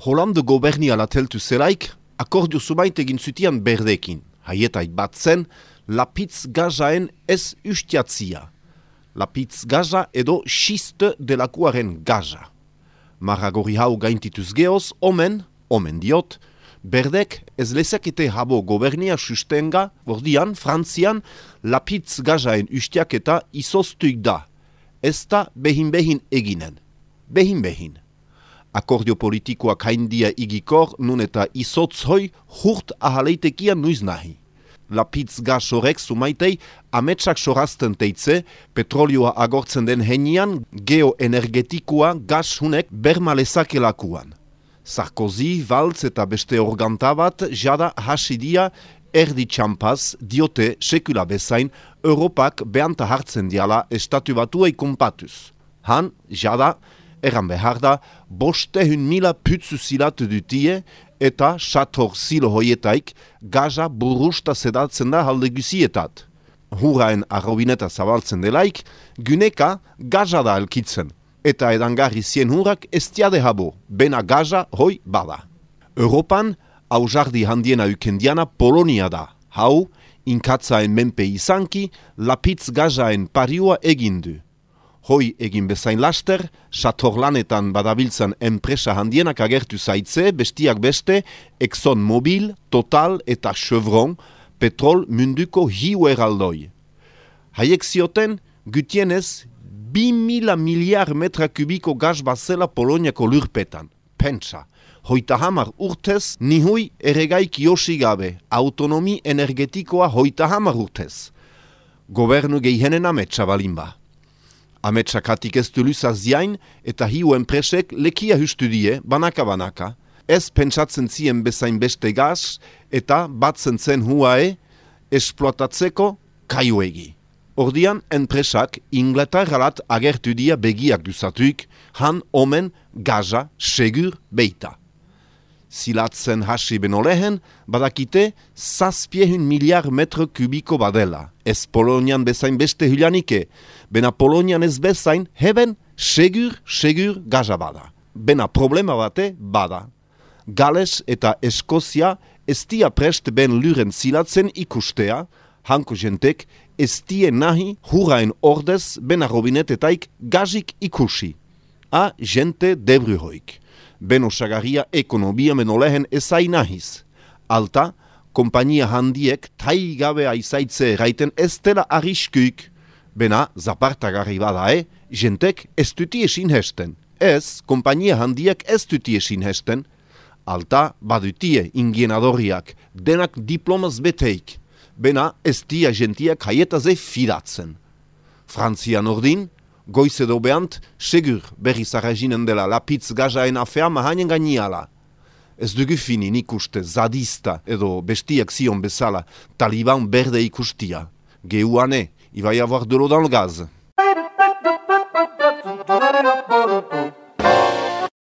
Hollande gobernia teltu zelaik, akordio zumait egin zutian berdekin. Haietai bat zen, lapitz gazaen ez ustiatzia. Lapitz gaza edo xiste delakuaren gaza. Marragori hau gaintituz geoz, omen diot, berdek ez lezakete habo gobernia sustenga, ordian, Frantzian, lapitz gazaen ustiaketa izoztuik da. Ez da behin eginen. Behin. Akordio politikoak haindia igikor, nun eta izotzhoi hurt ahaleitekian nuiz nahi. Lapitz gaz horrek sumaitei ametsak sorazten teitze, petrolioa agortzen den henian, geoenergetikoa gaz hunek bermalezakelakuan. Sarkozy, Valls eta beste organtabat jada hasidia erdi txampaz diote sekula bezain Europak behanta hartzen diala estatu batuei konpatuz. Han, jada, erran behar da, 500.000 putzu zilatu dutie eta sator zilo hoietaik gaza burusta sedatzen da halde guzietat. Huraen arrobineta zabaltzen delaik, guneka gaza da elkitzen. Eta edangarri zien hurak estiade habo, bena gaza hoi bada. Europan, hau jardi handiena ukendiana Polonia da. Hau, inkatzaen menpe izanki, lapitz gazaen pariua egindu. Hoi egin bezain laster, satorlanetan badabiltzan enpresa handienak agertu zaitze, bestiak beste, ExxonMobil, Total eta Chevron, petrol munduko hiu eraldoi. Haiek zioten, gutienez, 2.000 miliar metra kubiko gaz bazela Poloniako lurpetan. Pentsa, 30 urtez, nihui eregaik josi gabe, autonomi energetikoa 30 urtez. Gobernu geihenen ametsa balinba. Ametsakatik ez du luzaz ziain eta hiu enpresek lekia hustu die, banaka. Ez pentsatzen zien bezain beste gaz eta batzen zen huae esploatatzeko kaiuegi. Ordian enpresak Inglaterralat agertu dia begiak duzatuik, han omen gaza segur beita. Zilatzen hasi beno lehen, badakite 700 miliar metro kubiko badela. Ez Polonian bezain beste hulianike, bena Polonian ez bezain heben segur gaza bada. Bena problema bate bada. Gales eta Eskozia ez dia prest ben luren zilatzen ikustea, hanko jentek ez die nahi huraen ordez bena robinetetaik gazik ikusi. A jente debruhoik. Ben osagaria ekonomia menolehen ezai nahiz. Alta, kompainia handiek tai gabe aizaitze eraiten ez dela arriskuik. Bena, zapartagarri bada jentek ez duti esin hesten. Ez, kompainia handiek ez duti esin hesten. Alta, badutie ingienadoriak, denak diplomaz beteik. Bena, ez dia jentiak haietaze fidatzen. Frantzian ordin, goiz edo behant, segur berri zarraginen dela lapitz gazaen afea mahainen gainiala. Ez dugu finin ikuste zadista edo bestiak zion bezala Taliban berde ikustia. Geuane, il va y avoir de l'eau dans le gaz.